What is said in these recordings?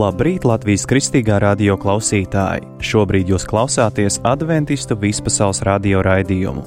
Labrīt, Latvijas Kristīgā radio klausītāji! Šobrīd jūs klausāties Adventistu vispasaules radio raidījumu.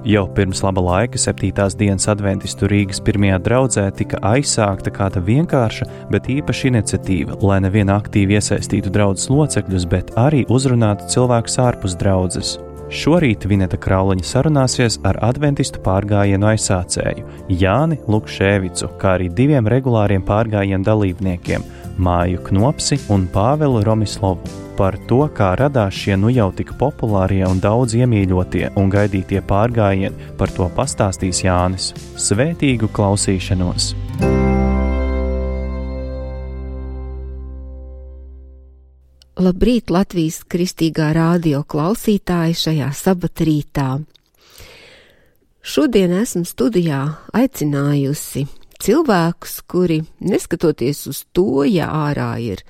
Jau pirms laba laika 7. dienas Adventistu Rīgas pirmajā draudzē tika aizsākta kāda vienkārša, bet īpaša iniciatīva, lai nevien aktīvi iesaistītu draudzes locekļus, bet arī uzrunātu cilvēkus ārpus draudzes. Šorīt Vineta Krauliņa sarunāsies ar adventistu pārgājienu aizsācēju Jāni Lukševicu, kā arī 2 regulāriem pārgājienu dalībniekiem Māju Knopsi un Pāvelu Romislovu. Par to, kā radās šie nu jau tik populārie un daudz iemīļotie un gaidītie pārgājieni, par to pastāstīs Jānis. Svētīgu klausīšanos! Labrīt, Latvijas Kristīgā radio klausītāji šajā sabatrītā. Šodien esmu studijā aicinājusi cilvēkus, kuri, neskatoties uz to, ja ārā ir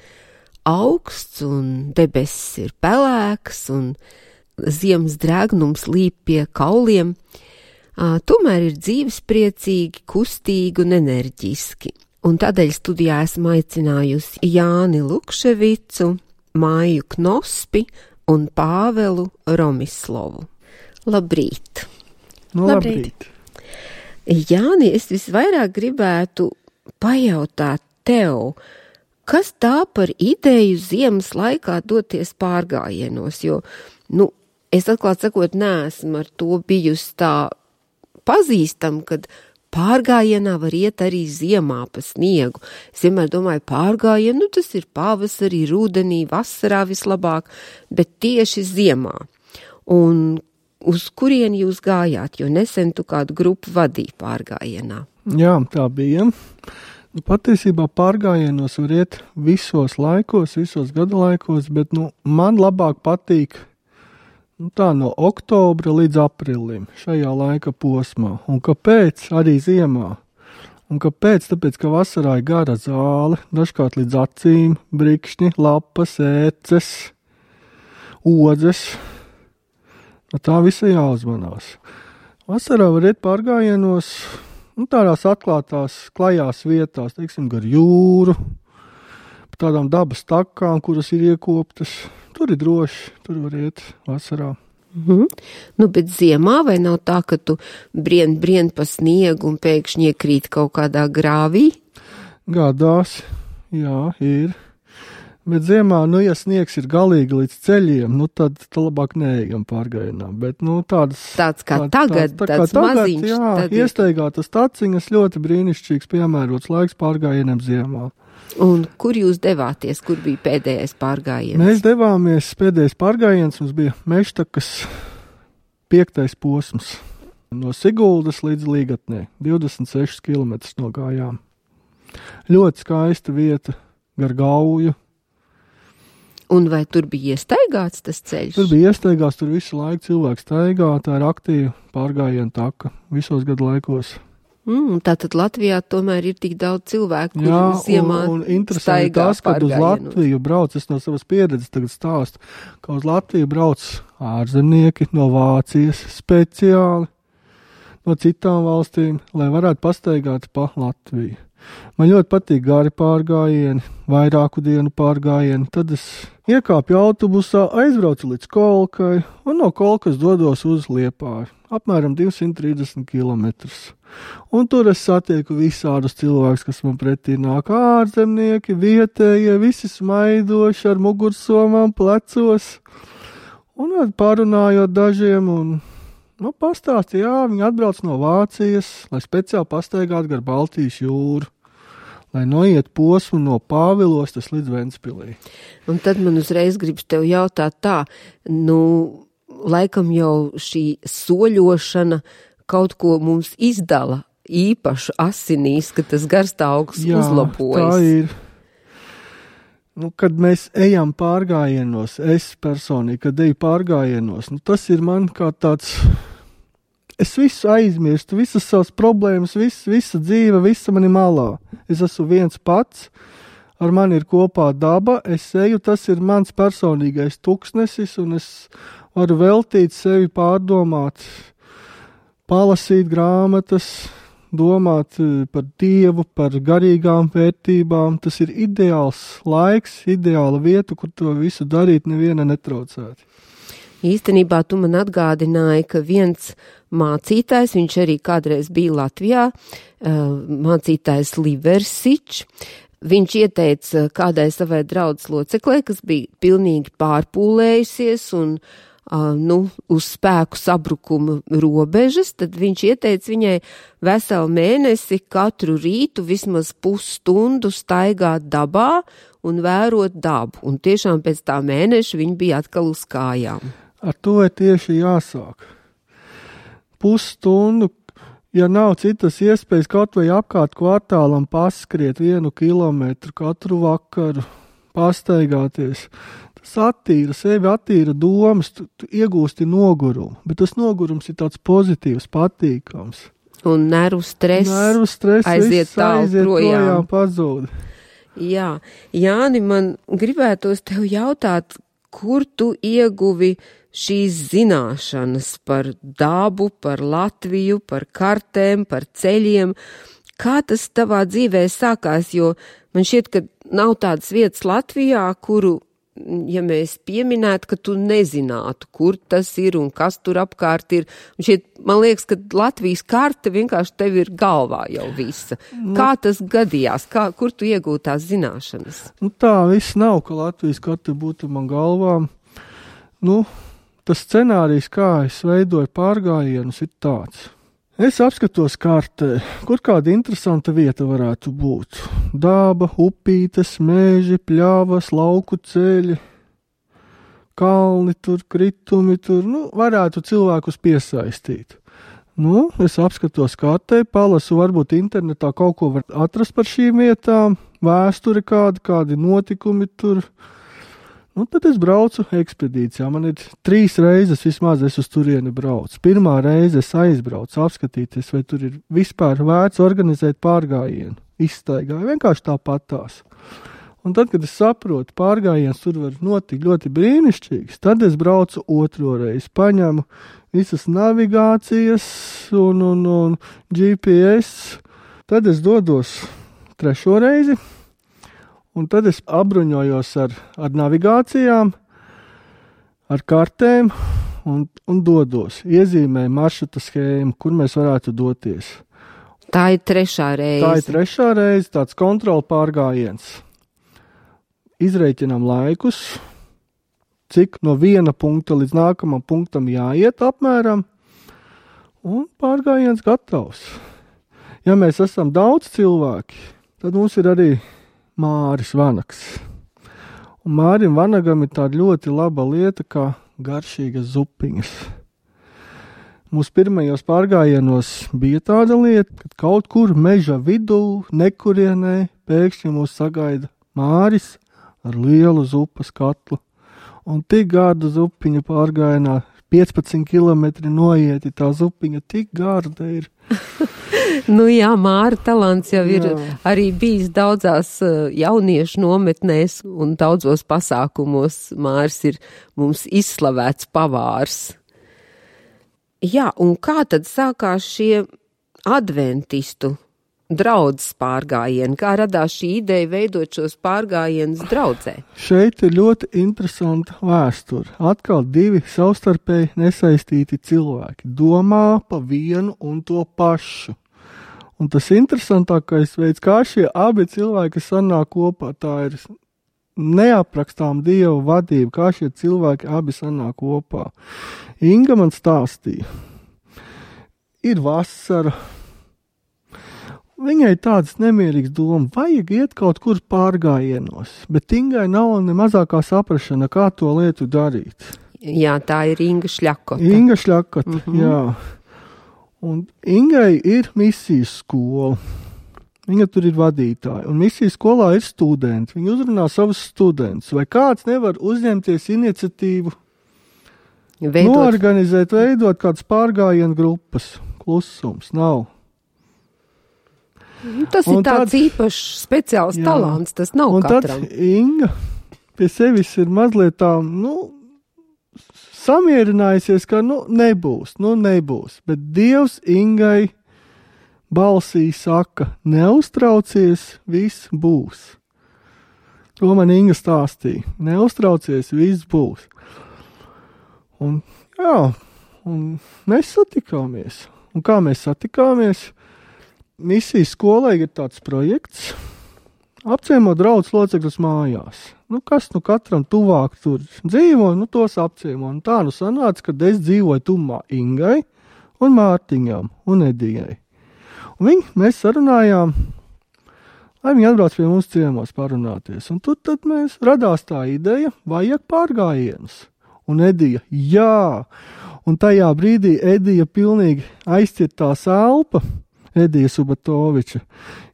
augsts un debesis ir pelēks un ziemas drēgnums līp pie kauliem, tomēr ir dzīvespriecīgi, kustīgi un enerģiski. Un tādēļ studijā esmu aicinājusi Jāni Lukševicu, Māju Knospi un Pāvelu Romislovu. Labrīt! Labrīt! Jāni, es visvairāk gribētu pajautāt tev, kas tā par ideju ziemas laikā doties pārgājienos, jo, es atklāt sakot, neesmu ar to bijusi tā pazīstam, kad pārgājienā var iet arī ziemā pa sniegu. Es vienmēr domāju, pārgājienu, tas ir pavasarī, rudenī, vasarā vislabāk, bet tieši ziemā. Un uz kurien jūs gājāt, jo nesen tu kādu grupu vadīji pārgājienā? Jā, tā bija. Patiesībā pārgājienos var iet visos laikos, visos gada laikos, bet man labāk patīk tā no oktobra līdz aprīlim, šajā laika posmā. Un kāpēc? Arī ziemā. Un kāpēc? Tāpēc, ka vasarā ir gara zāle, dažkārt līdz acīm, brikšņi, lapas, ēces, odzes. Tā visa jāuzmanās. Vasarā var iet pārgājienos, tādās atklātās, klajās vietās, teiksim, gar jūru, pa tādām dabas takām, kuras ir iekoptas. Tur ir droši, tur var iet vasarā. Bet ziemā vai nav tā, ka tu brien pa sniegu un pēkšņi iekrīt kaut kādā grāvī? Gadās, jā, ir. Bet ziemā, ja sniegs ir galīgi līdz ceļiem, tad labāk neejam pārgājienā. Bet, tāds kā tagad, tāds maziņš. Jā, iesteigātas taciņas, ļoti brīnišķīgs, piemērots laiks pārgājienam ziemā. Un kur jūs devāties, kur bija pēdējais pārgājiens? Mēs devāmies, pēdējais pārgājiens mums bija Mežtakas 5. posms. No Siguldas līdz Līgatnē, 26 km nogājām. Ļoti skaista vieta, gar Gauju. Un vai tur bija iestaigāts tas ceļš? Tur bija iestaigāts, tur visu laiku cilvēks staigā, tā ir aktīva pārgājiena taka visos gadu laikos. Tātad Latvijā tomēr ir tik daudz cilvēku, jā, kur ziemā un interesanti tas, kad uz Latviju brauc, es no savas pieredzes tagad stāstu, ka uz Latviju brauc ārzemnieki no Vācijas speciāli, no citām valstīm, lai varētu pastaigāt pa Latviju. Man ļoti patīk gari pārgājieni, vairāku dienu pārgājieni, tad es iekāpju autobusā, aizbraucu līdz Kolkai un no Kolkas dodos uz Liepāju, apmēram 230 km. Un tur es satieku visādus cilvēkus, kas man pretī nāk, ārzemnieki, vietējie, visi smaidoši ar mugursomām plecos. Un pārunājot dažiem un pastāstīja, viņi atbrauc no Vācijas, lai speciāli pastaigātu gar Baltijas jūru, lai noiet posmu no Pāvilostas līdz Ventspilī. Un tad man uzreiz gribas tev jautāt tā, laikam jau šī soļošana kaut ko mums izdala īpaši asinīs, ka tas garstāvoklis uzlabojas. Jā, tā ir. Kad mēs ejam pārgājienos, es personīgi, kad eju pārgājienos, tas ir man kā tāds, es visu aizmirstu, visas savas problēmas, visa dzīve, visa mani malā. Es esmu viens pats, ar mani ir kopā daba, es eju, tas ir mans personīgais tuksnesis, un es varu veltīt sevi pārdomāt, palasīt grāmatas, domāt par Dievu, par garīgām vērtībām. Tas ir ideāls laiks, ideāla vieta, kur to visu darīt neviena netraucēti. Īstenībā tu man atgādināji, ka viens mācītājs, viņš arī kādreiz bija Latvijā, mācītājs Liversičs, viņš ieteica kādai savai draudzes loceklei, kas bija pilnīgi pārpūlējusies un uz spēku sabrukuma robežas, tad viņš ieteica viņai veselu mēnesi katru rītu vismaz pusstundu staigāt dabā un vērot dabu. Un tiešām pēc tā mēneša viņa bija atkal uz kājām. Ar to ir tieši jāsāk. Pusstundu, ja nav citas iespējas kaut vai apkārt kvartālam paskriet 1 kilometru katru vakaru, pastaigāties. Tas attīra sevi, attīra domas, tu iegūsti nogurumu, bet tas nogurums ir tāds pozitīvs, patīkams. Un nervu stress aiziet projām pazūd. Jā, Jāni, man gribētos tev jautāt, kur tu ieguvi šīs zināšanas par dabu, par Latviju, par kartēm, par ceļiem? Kā tas tavā dzīvē sākās, jo man šķiet, ka nav tādas vietas Latvijā, kuru, ja mēs pieminētu, ka tu nezinātu, kur tas ir un kas tur apkārt ir. Un šeit, man liekas, ka Latvijas karte vienkārši tev ir galvā jau visa. Kā tas gadījās? Kur tu iegūti tās zināšanas? Tā viss nav, ka Latvijas karte būtu man galvā. Tas scenārijs, kā es veidoju pārgājienus, ir tāds. Es apskatos kartē, kur kāda interesanta vieta varētu būt. Daba, upītes, meži, pļavas, lauku ceļi, kalni tur, kritumi tur, varētu cilvēkus piesaistīt. Es apskatos kartē, palasu, varbūt internetā kaut ko var atrast par šīm vietām, vēsture kādi notikumi tur. Tad es braucu ekspedīcijā. Man ir 3 reizes vismaz es uz turieni braucu. Pirmā reize es aizbraucu, apskatīties, vai tur ir vispār vērts organizēt pārgājienu. Izstaigāju, vienkārši tāpatās. Un tad, kad es saprotu, pārgājiens tur var notikt ļoti brīnišķīgs, tad es braucu 2. reizi, paņemu visas navigācijas un GPS. Tad es dodos 3. reizi. Un tad es apbruņojos ar navigācijām, ar kartēm un dodos. Iezīmēju maršruta schēmu, kur mēs varētu doties. Tā ir 3. reize. Tā ir 3. reize, tāds kontrola pārgājiens. Izreikinām laikus, cik no viena punkta līdz nākamam punktam jāiet apmēram, un pārgājiens gatavs. Ja mēs esam daudz cilvēki, tad mums ir arī Māris Vanags. Un Mārim Vanagam ir tāda ļoti laba lieta, kā garšīgas zupiņas. Mūsu pirmajos pārgājienos bija tāda lieta, kad kaut kur meža vidū, nekurienē, pēkšņi mūs sagaida Māris ar lielu zupas katlu. Un tik garda zupiņa pārgājienā, 15 kilometri noieti, tā zupiņa tik garda ir. Jā, Māra talants jau ir arī bijis daudzās jauniešu nometnēs un daudzos pasākumos. Mārs ir mums izslavēts pavārs. Jā, un kā tad sākās šie adventistu draudzes pārgājieni? Kā radās šī ideja veidot šos pārgājienus draudzē? Šeit ir ļoti interesanta vēsture. Atkal 2 savstarpēji nesaistīti cilvēki domā pa vienu un to pašu. Un tas interesantākais veids, kā šie abi cilvēki sanāk kopā, tā ir neaprakstām Dieva vadība, kā šie cilvēki abi sanāk kopā. Inga man stāstīja, ir vasara, viņai tāds nemierīgs doma, vajag iet kaut kur pārgājienos, bet Ingai nav ne mazākā saprašana, kā to lietu darīt. Jā, tā ir Inga Šļakota. Inga Šļakota, jā. Un Ingai ir misijas skola. Viņa tur ir vadītāja. Un misijas skolā ir studenti. Viņa uzrunā savus studentus. Vai kāds nevar uzņemties iniciatīvu noorganizēt, veidot kādas pārgājienu grupas? Klusums nav. Tas ir tāds īpašs speciāls talants. Tas nav katram. Un tad Inga pie sevis ir mazliet tā, samierinājusies, ka nebūs, bet Dievs Ingai balsī saka, neuztraucies, viss būs. To man Inga stāstīja. Neuztraucies, viss būs. Un mēs satikāmies. Un kā mēs satikāmies? Misijas skolai ir tāds projekts, apciemot draugus locekļus mājās. Kas katram tuvāk tur dzīvo, tos apciemo. Un tā sanāca, kad es dzīvoju tumā Ingai un Mārtiņam un Edijai. Un mēs sarunājām, lai viņi atbrauc pie mums ciemos parunāties. Un tad mēs radās tā ideja, vajag pārgājienus. Un Edija, jā. Un tajā brīdī Edija pilnīgi aizcirtās elpa, Edija Subatoviča,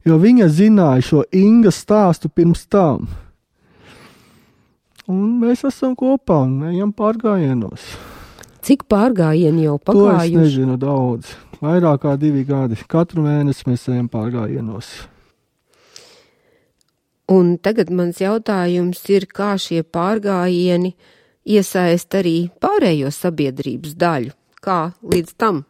jo viņa zināja šo Ingas stāstu pirms tam. Un mēs esam kopā un ejam pārgājienos. Cik pārgājieni jau pagājuši? To es nezinu daudz. Vairāk kā 2 gadi. Katru mēnesi mēs ejam pārgājienos. Un tagad mans jautājums ir, kā šie pārgājieni iesaist arī pārējo sabiedrības daļu? Kā līdz tam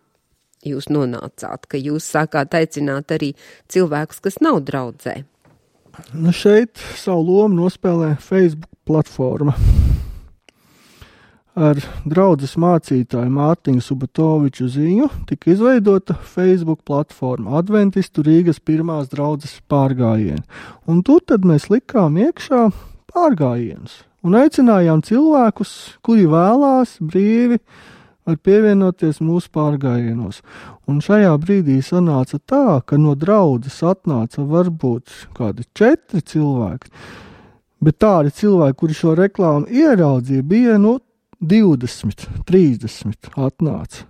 jūs nonācāt, ka jūs sākāt aicināt arī cilvēkus, kas nav draudzē? Šeit savu lomu nospēlē Facebook platforma. Ar draudzes mācītāju Mārtiņu Subatoviču ziņu tika izveidota Facebook platforma Adventistu Rīgas pirmās draudzes pārgājieni. Un tur tad mēs likām iekšā pārgājienus un aicinājām cilvēkus, kuri vēlās brīvi var pievienoties mūsu pārgājienos. Un šajā brīdī sanāca tā, ka no draudzes atnāca varbūt kādi 4 cilvēki, bet tādi cilvēki, kuri šo reklāmu ieraudzīja, bija 20, 30 atnāca.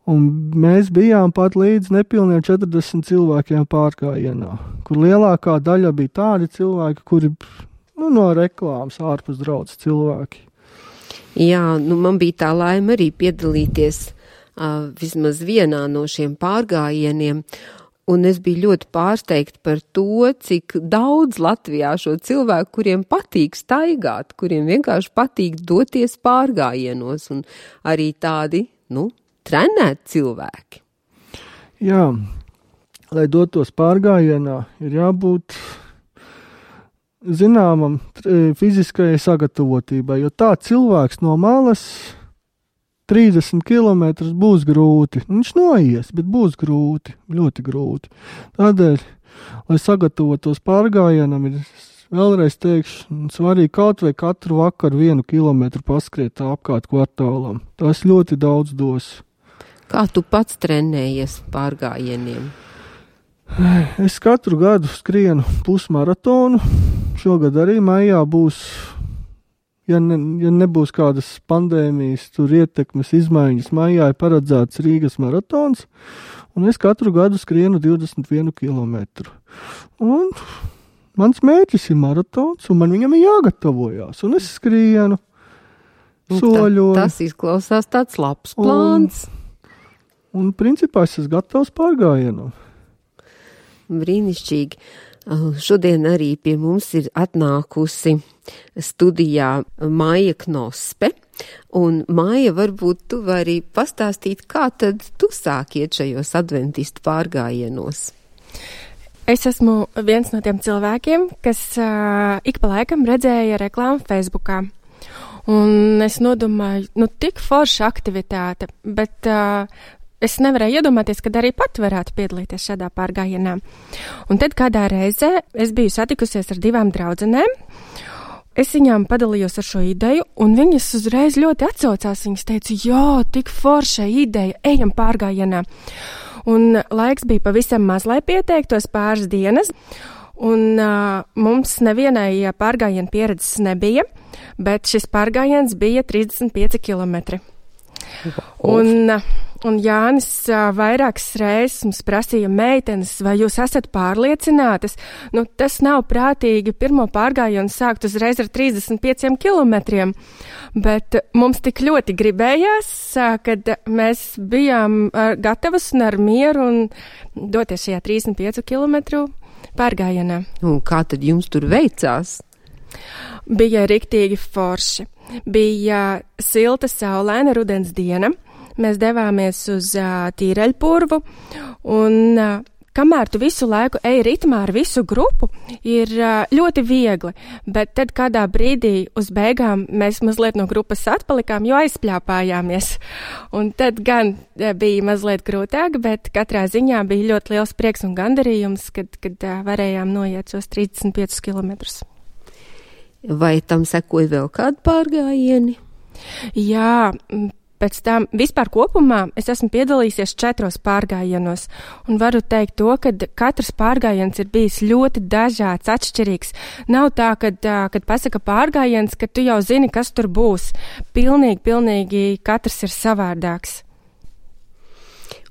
Un mēs bijām pat līdz nepilniem 40 cilvēkiem pārgājienā, kur lielākā daļa bija tādi cilvēki, kuri no reklāmas ārpus draudzes cilvēki. Jā, man bija tā laime arī piedalīties vismaz vienā no šiem pārgājieniem, un es biju ļoti pārsteigta par to, cik daudz Latvijā šo cilvēku, kuriem patīk staigāt, kuriem vienkārši patīk doties pārgājienos, un arī tādi, trenēti cilvēki. Jā, lai dotos pārgājienā, ir jābūt zināmam fiziskajai sagatavotībai, jo tā cilvēks no malas 30 kilometrus būs grūti. Viņš noies, bet būs grūti, ļoti grūti. Tādēļ, lai sagatavotos pārgājienam, ir vēlreiz teikšu, svarīgi kaut vai katru vakaru 1 kilometru paskriet apkārt kvartālam. Tas ļoti daudz dos. Kā tu pats trenējies pārgājieniem? Es katru gadu skrienu pusmaratonu. Šogad arī maijā būs, ja nebūs kādas pandēmijas, tur ietekmes izmaiņas, maijā ir paredzēts Rīgas maratons, un es katru gadu skrienu 21 kilometru. Un mans mērķis ir maratons, un man viņam ir jāgatavojās, un es skrienu, soļoju. Tas izklausās tāds labs plāns. Un principā es esmu gatavs pārgājienam. Brīnišķīgi. Šodien arī pie mums ir atnākusi studijā Maija Knospe, un Maija, varbūt tu vari pastāstīt, kā tad tu sāki iet šajos adventistu pārgājienos? Es esmu viens no tiem cilvēkiem, kas ik pa laikam redzēja reklāmu Facebookā, un es nodomāju, tik forša aktivitāte, bet es nevarēju iedomāties, kad arī pat varētu piedalīties šādā pārgājienā. Un tad kādā reizē es biju satikusies ar 2 draudzenēm. Es viņām padalījos ar šo ideju, un viņas uzreiz ļoti atsaucās. Viņas teica, jā, tik forša ideja, ejam pārgājienā. Un laiks bija pavisam maz, lai pieteiktos, pāris dienas. Un mums nevienai pārgājiena pieredzes nebija, bet šis pārgājiens bija 35 kilometri. Un Jānis vairākas reizes mums prasīja, meitenes, vai jūs esat pārliecinātas? Tas nav prātīgi pirmo pārgājienu sākt uzreiz ar 35 kilometriem, bet mums tik ļoti gribējās, kad mēs bijām gatavas un ar mieru un doties šajā 35 kilometru pārgājienā. Un kā tad jums tur veicās? Bija riktīgi forši. Bija silta, saulaina rudens diena. mēs devāmies uz Tīreļpurvu, un kamēr tu visu laiku ej ritmā ar visu grupu, ir ļoti viegli, bet tad kādā brīdī uz beigām mēs mazliet no grupas atpalikām, jo aizpļāpājāmies. Un tad gan bija mazliet grūtāk, bet katrā ziņā bija ļoti liels prieks un gandarījums, kad varējām noiet šos 35 kilometrus. Vai tam sekoja vēl kādi pārgājieni? Jā, pēc tam vispār kopumā es esmu piedalījusies 4 pārgājienos un varu teikt to, ka katrs pārgājiens ir bijis ļoti dažāds, atšķirīgs. Nav tā, kad pasaka pārgājiens, ka tu jau zini, kas tur būs. Pilnīgi katrs ir savādāks.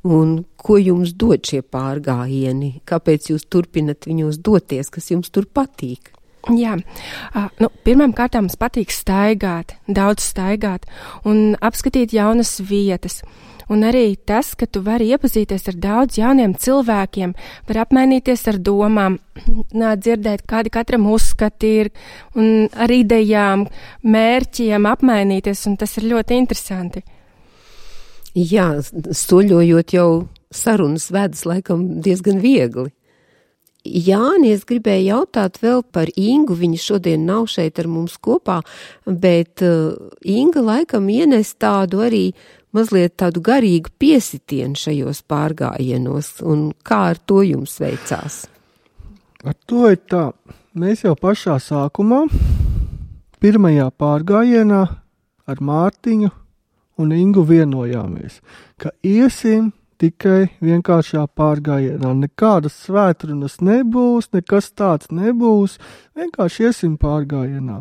Un ko jums dod šie pārgājieni? Kāpēc jūs turpinat viņos doties, kas jums tur patīk? Jā, pirmām kārtām mums patīk staigāt, daudz staigāt un apskatīt jaunas vietas. Un arī tas, ka tu vari iepazīties ar daudz jauniem cilvēkiem, var apmainīties ar domām, dzirdēt, kādi katram uzskati ir, un ar idejām, mērķiem apmainīties, un tas ir ļoti interesanti. Jā, soļojot jau sarunas vedas laikam diezgan viegli. Jāni, es gribēju jautāt vēl par Ingu, viņa šodien nav šeit ar mums kopā, bet Inga laikam ienes tādu arī mazliet tādu garīgu piesitienu šajos pārgājienos, un kā ar to jums veicās? Ar to ir tā, mēs jau pašā sākumā, pirmajā pārgājienā ar Mārtiņu un Ingu vienojāmies, ka iesim tikai vienkāršā pārgājienā. Nekādas svētrunas nebūs, nekas tāds nebūs, vienkārši iesim pārgājienā.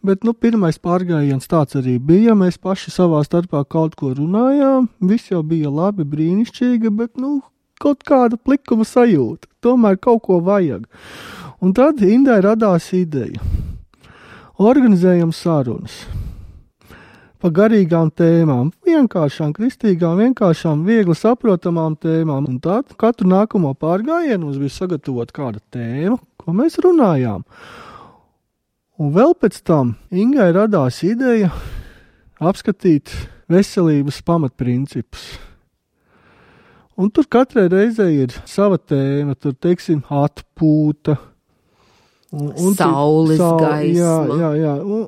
Bet, pirmais pārgājiens tāds arī bija, mēs paši savā starpā kaut ko runājām, viss jau bija labi, brīnišķīgi, bet, kaut kāda plikuma sajūta, tomēr kaut ko vajag. Un tad Indai radās ideja. Organizējam sarunas. Pa garīgām tēmām, vienkāršām, kristīgām, vienkāršām, viegli saprotamām tēmām. Un tad katru nākamo pārgājienu mums bija sagatavot kāda tēma, ko mēs runājām. Un vēl pēc tam Ingai radās ideja apskatīt veselības pamatprincipus. Un tur katrai reizei ir sava tēma, tur, teiksim, atpūta. Saules gaisma,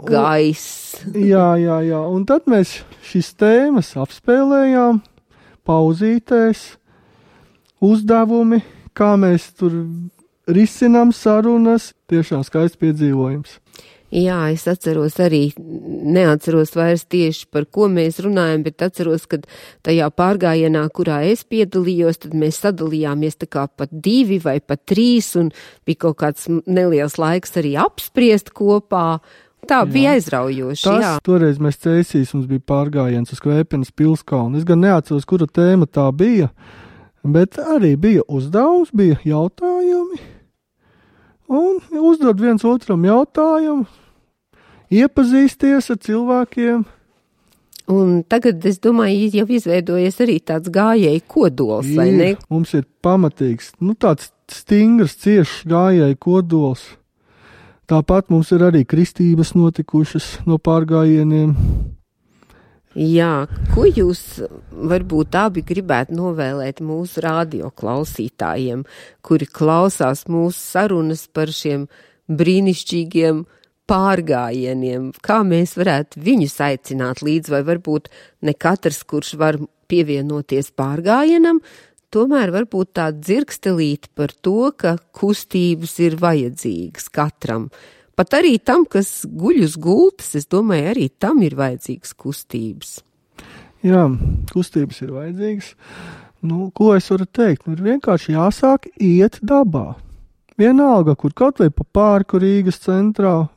gaiss. Jā. Un tad mēs šīs tēmas apspēlējām, pauzītēs, uzdevumi, kā mēs tur risinām sarunas, tiešām skaists piedzīvojums. Jā, es atceros arī, neatceros vairs tieši par ko mēs runājam, bet atceros, ka tajā pārgājienā, kurā es piedalījos, tad mēs sadalījāmies tā kā pat 2 vai pat 3 un bija kaut kāds neliels laiks arī apspriest kopā. Tā bija aizraujoši, jā. Toreiz mēs Cēsīs, mums bija pārgājiens uz Kvēpenes pilskalnu. Es gan neatceros, kura tēma tā bija, bet arī bija uzdevums, bija jautājumi. Un uzdod viens otram jautājumu, iepazīsties ar cilvēkiem. Un tagad, es domāju, jau izveidojies arī tāds gājēju kodols, vai ne? Mums ir pamatīgs, tāds stingrs, ciešs gājēju kodols. Tāpat mums ir arī kristības notikušas no pārgājieniem. Jā, ko jūs varbūt abi gribētu novēlēt mūsu radioklausītājiem, kuri klausās mūsu sarunas par šiem brīnišķīgiem pārgājieniem? Kā mēs varētu viņus aicināt līdz, vai varbūt ne katrs, kurš var pievienoties pārgājienam, tomēr varbūt tā dzirkstelīt par to, ka kustības ir vajadzīgas katram. Pat arī tam, kas guļ uz gultas, es domāju, arī tam ir vajadzīgas kustības. Jā, kustības ir vajadzīgas. Ko es varu teikt? Ir vienkārši jāsāk iet dabā. Vienalga, kur kaut vai pa parku Rīgas centrā,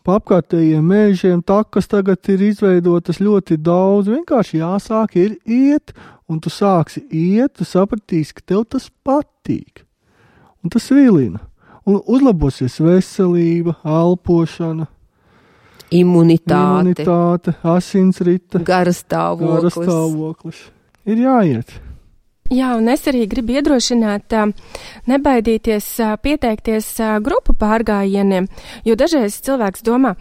pa apkārtējiem mežiem, takas tagad ir izveidotas ļoti daudz. Vienkārši jāsāk ir iet, un tu sāksi iet, tu sapratīsi, ka tev tas patīk. Un tas vilina. Un uzlabosies veselība, elpošana, imunitāte, asinsrite, garastāvoklis. Ir jāiet. Jā, un es arī gribu iedrošināt, nebaidīties pieteikties grupu pārgājieniem, jo dažreiz cilvēks domā,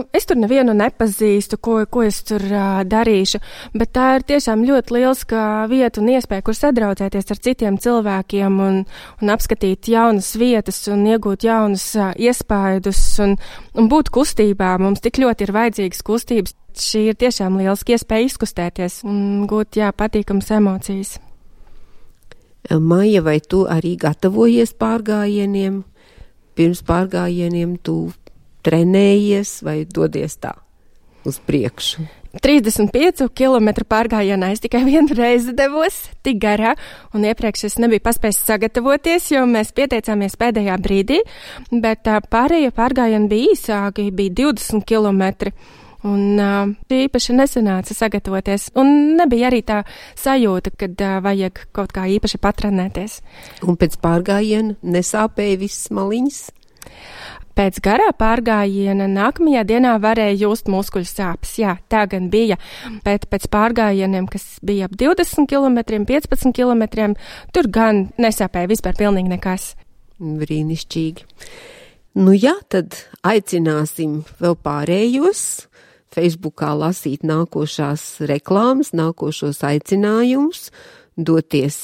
es tur nevienu nepazīstu, ko es tur darīšu, bet tā ir tiešām ļoti lielska vieta un iespēja, kur sadraudzēties ar citiem cilvēkiem un apskatīt jaunas vietas un iegūt jaunus iespaidus un būt kustībā. Mums tik ļoti ir vajadzīgas kustības. Šī ir tiešām lielska iespēja izkustēties un gūt, patīkamas emocijas. Maija, vai tu arī gatavojies pārgājieniem? Pirms pārgājieniem tu trenējies vai dodies tā uz priekšu? 35 kilometru pārgājienā es tikai vienu reizi devos, tik garā, un iepriekš es nebiju paspējis sagatavoties, jo mēs pieteicāmies pēdējā brīdī, bet pārējie pārgājieni bija īsāki, bija 20 kilometri. Un īpaši nesanāca sagatavoties, un nebija arī tā sajūta, kad vajag kaut kā īpaši patrenēties. Un pēc pārgājiena nesāpēja visas maliņas? Pēc garā pārgājiena nākamajā dienā varēja just muskuļu sāpes. Jā, tā gan bija, bet pēc pārgājieniem, kas bija ap 20 kilometriem, 15 kilometriem, tur gan nesāpēja vispār pilnīgi nekas. Brīnišķīgi. Jā, tad aicināsim vēl pārējos Facebookā lasīt nākošās reklāmas, nākošos aicinājumus, doties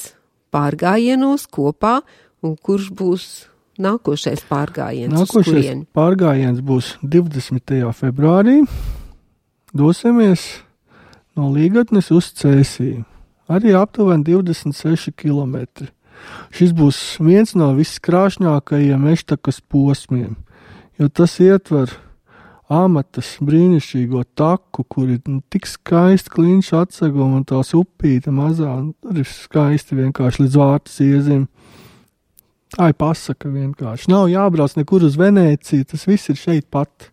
pārgājienos kopā, un kurš būs nākošais pārgājiens? Nākošais pārgājiens būs 20. februārī. Dosimies no Līgatnes uz Cēsiju. Arī aptuveni 26 kilometri. Šis būs viens no viskrāšņākajiem Eštakas posmiem, jo tas ietver Amatas brīnišķīgo taku, kur ir tik skaisti kliņš atseguma un tās upīte mazā, un tur ir skaisti vienkārši līdz Vārtas iezim. Tā ir pasaka vienkārši. Nav jābrauc nekur uz Venēciju, tas viss ir šeit pat.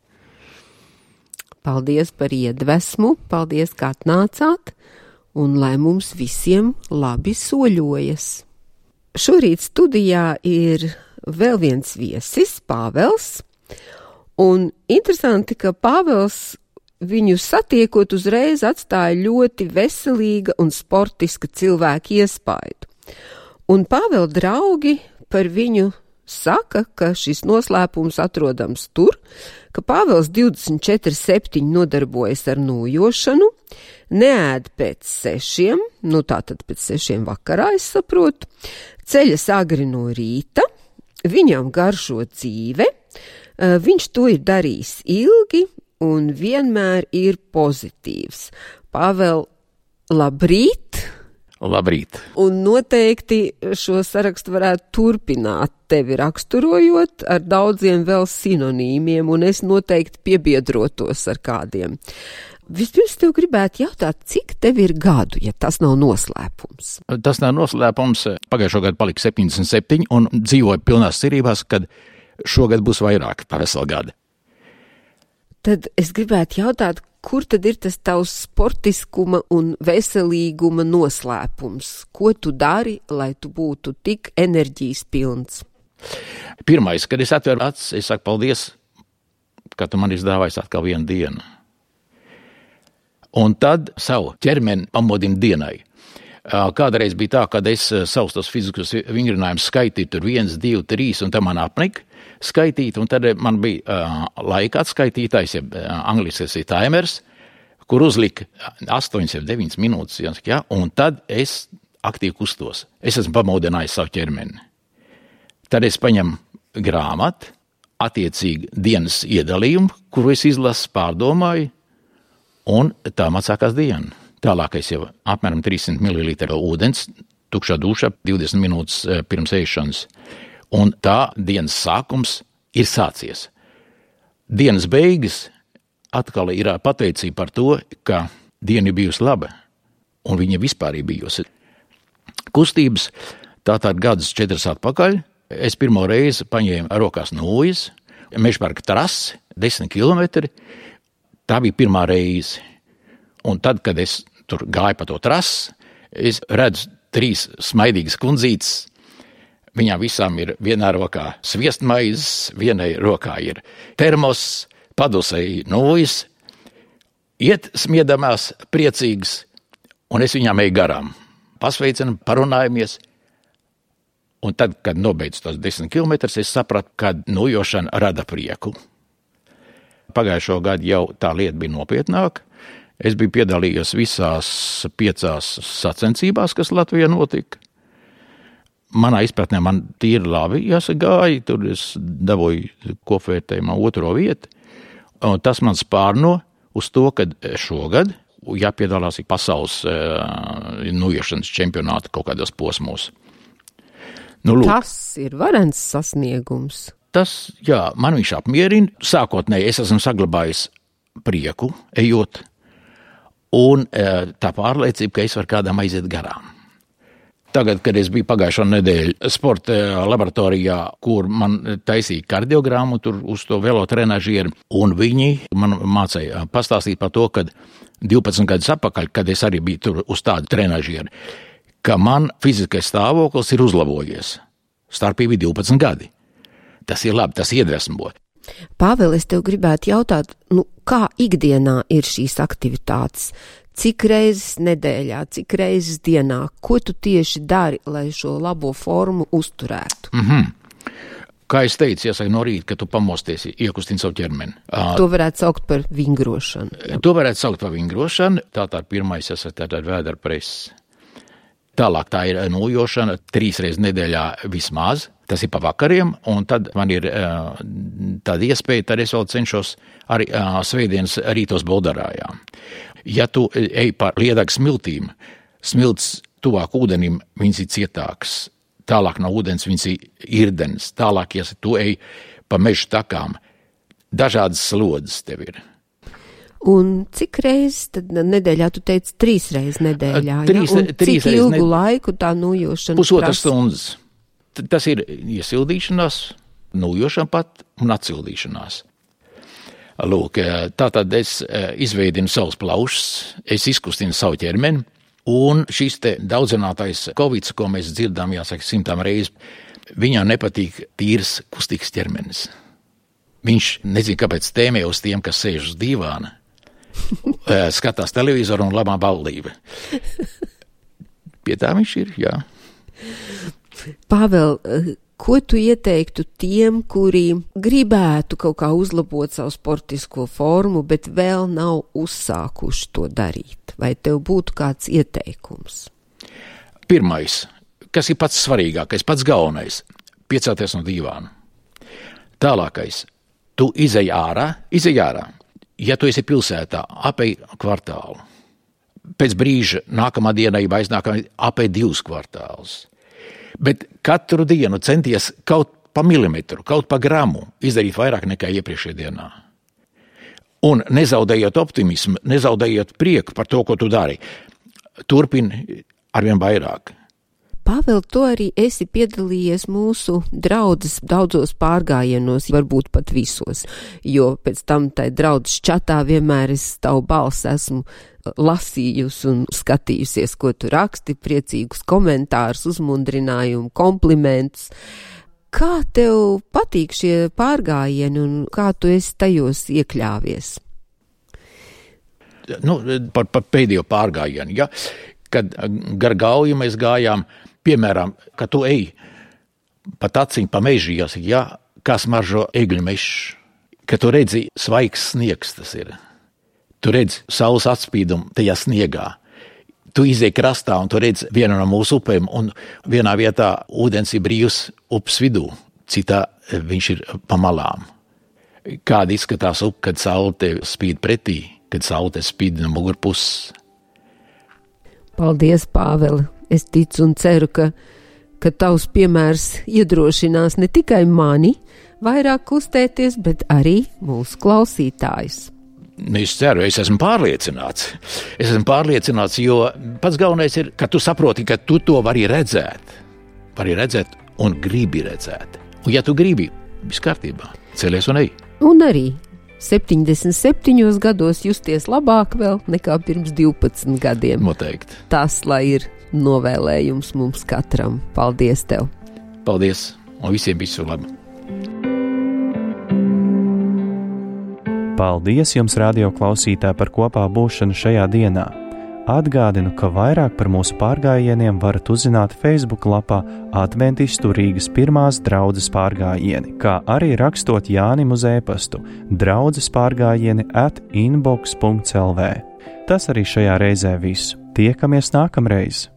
Paldies par iedvesmu, paldies, kā atnācāt, un lai mums visiem labi soļojas. Šorīt studijā ir vēl viens viesis, Pāvels. Un interesanti, ka Pāvels viņu satiekot uzreiz atstāja ļoti veselīga un sportiska cilvēka iespaidu. Un Pāvela draugi par viņu saka, ka šis noslēpums atrodams tur, ka Pāvels 24/7 nodarbojas ar nojošanu, neēd pēc 6, tātad pēc 6 vakarā, es saprotu, ceļas agri no rīta, viņam garšo dzīve, viņš to ir darījis ilgi un vienmēr ir pozitīvs. Pāvēl, labrīt! Labrīt! Un noteikti šo sarakstu varētu turpināt tevi raksturojot ar daudziem vēl sinonīmiem, un es noteikti piebiedrotos ar kādiem. Vispirms tev gribētu jautāt, cik tev ir gadu, ja tas nav noslēpums? Tas nav noslēpums. Pagājušo gadu palika 77 un dzīvoju pilnās cerībās, kad šogad būs vairāk par veselu gadu. Tad es gribētu jautāt, kur tad ir tas tavs sportiskuma un veselīguma noslēpums? Ko tu dari, lai tu būtu tik enerģijas pilns? Pirmais, kad es atveru acis, es saku paldies, ka tu man izdāvājies atkal vienu dienu. Un tad savu ķermeni pamodinu dienai. Kādreiz bija tā, kad es savus tos fizikus vingrinājumus skaitīju, tur 1, 2, 3, un tam man apnika skaitīt, un tad man bija laika atskaitītājs, angliskais ir timers, kur uzlika 8 vai 9 minūtes, ja, un tad es aktīvi kustos. Es esmu pamodinājis savu ķermeni. Tad es paņemu grāmatu, attiecīgi dienas iedalījumu, kuru es izlasu, pārdomāju, un tā man sākās diena. Tālākais jau apmēram 300 ml ūdens, tukšā dušā 20 minūtes pirms ēšanas. Un tā dienas sākums ir sācies. Dienas beigas atkal ir pateicība par to, ka diena ir bijusi laba, un viņa vispār ir bijusi. Kustības tātad gadus 4 atpakaļ. Es pirmo reizi paņēmu rokās nūjas, Mežparka trasi, 10 kilometri. Tā bija pirmā reize. Un tad, kad es tur gāju pa to trasi, es redzu 3 smaidīgas kundzītes. Viņām visām ir vienā rokā sviestmaizes, vienai rokā ir termos, padusei nūjas, iet smiedamās, priecīgas, un es viņām eju garām. pasveicinam, parunājamies. Un tad, kad nobeidzu tos 10 kilometrus, es sapratu, ka nojošana rada prieku. Pagājušo gadu jau tā lieta bija nopietnāka. Es biju piedalījies visās 5 sacensībās, kas Latvijā notika. Manā izpratnē man tīri labi jāsagāja, tur es dabūju kopvērtējumā 2. vietu. Un tas man spārno uz to, ka šogad jāpiedalās pasaules nojošanas čempionāta kaut kādos posmos. Lūk, tas ir varens sasniegums. Tas, jā, man viņš apmierina. Sākotnēji es esmu saglabājis prieku, ejot, un tā pārliecība, ka es varu kādam aiziet garām. Tagad, kad es biju pagājušo nedēļu sporta laboratorijā, kur man taisīja kardiogrammu tur uz to velotrenažieru, un viņi man mācīja pastāstīt par to, ka 12 gadus atpakaļ, kad es arī biju tur uz tādu trenažieru, ka man fiziskais stāvoklis ir uzlabojies. Starpība ir 12 gadi. Tas ir labi, tas iedvesmo. Pāvēl, es tev gribētu jautāt, kā ikdienā ir šīs aktivitātes? Cik reizes nedēļā, cik reizes dienā? Ko tu tieši dari, lai šo labo formu uzturētu? Kā es teicu, jāsaka no rīta, ka tu pamosties, iekustini savu ķermeni. To varētu saukt par vingrošanu. Jā. To varētu saukt par vingrošanu. Tātad pirmais tātad vēderpress. Tālāk tā ir nojošana 3 reizes nedēļā vismaz. Tas ir pa vakariem, un tad man ir tāda iespēja, tad es vēl cenšos arī svētdienas rītos Boldarājā. Ja tu ej par liedagu smiltīm, smilts tuvāk ūdenim, viņas ir cietāks. Tālāk no ūdens viņas ir irdenis. Tālāk, ja tu ej pa mežu takām, dažādas slodzes tev ir. Un cik reizes tad nedēļā, tu teici 3 reizes nedēļā, cik ilgu laiku tā nojošana? 1,5 stundas. Tas ir iesildīšanās, nojošana pat un atsildīšanās. Lūk, tātad es izveidinu savus plaušus, es izkustinu savu ķermeni, un šis te daudzinātais Covids, ko mēs dzirdām, jāsaka, 100 reizes, viņam nepatīk tīrs kustīgs ķermenis. Viņš nezin, kāpēc tēmē uz tiem, kas sēž uz dīvāna, skatās televizoru un labā ballība. Pie tā viņš ir, jā. Pāvēl, ko tu ieteiktu tiem, kuri gribētu kaut kā uzlabot savu sportisko formu, bet vēl nav uzsākuši to darīt? Vai tev būtu kāds ieteikums? Pirmais, kas ir pats svarīgākais, pats galvenais, piecelties no dīvāna. Tālākais, tu izej ārā. Ja tu esi pilsētā, apej kvartālu. Pēc brīža, nākamā dienā, ja aiznākamā, apej 2 kvartālus. Bet katru dienu centies kaut pa milimetru, kaut pa gramu izdarīt vairāk nekā iepriekšējā dienā. Un nezaudējot optimismu, nezaudējot prieku par to, ko tu dari. Turpini arvien vairāk. Pāvēl, tu arī esi piedalījies mūsu draudzes daudzos pārgājienos, varbūt pat visos, jo pēc tam tai draudzes čatā vienmēr es tavu balsi esmu lasījusi un skatījusies, ko tu raksti, priecīgus komentārus, uzmundrinājumu, komplimentus. Kā tev patīk šie pārgājieni un kā tu esi tajos iekļāvies? Par pēdējo pārgājienu, ja? Kad gar Gauju mēs gājām, piemēram, kad tu ej pa taciņu, pa mežu, ja, kā smaržo egļu mežs, kad tu redzi svaigs sniegs tas ir. Tu redzi saules atspīdumu tajā sniegā. Tu izej krastā un tu redzi vienu no mūsu upēm, un vienā vietā ūdens ir brīvs upes vidū, citā viņš ir pa malām. Kāda izskatās upe, kad saule tev spīd pretī, kad saule tev spīd no mugurpuses. Paldies, Pāveli! Es ticu un ceru, ka tavs piemērs iedrošinās ne tikai mani vairāk kustēties, bet arī mūsu klausītājus. Es ceru, es esmu pārliecināts. Jo pats galvenais ir, ka tu saproti, ka tu to vari redzēt. Vari redzēt un gribi redzēt. Un ja tu gribi, viss kārtībā, celies un ej. Un arī 77 gados justies labāk vēl nekā pirms 12 gadiem. Noteikti. Tas, lai ir novēlējums mums katram. Paldies tev! Paldies! Un visiem visu labu! Paldies jums, radio klausītāji, par kopā būšanu šajā dienā! Atgādinu, ka vairāk par mūsu pārgājieniem varat uzzināt Facebook lapā Adventistu Rīgas pirmās draudzes pārgājieni, kā arī rakstot Jānim uz e-pastu draudzespārgājieni@inbox.lv. Tas arī šajā reizē viss. Tiekamies nākamreiz!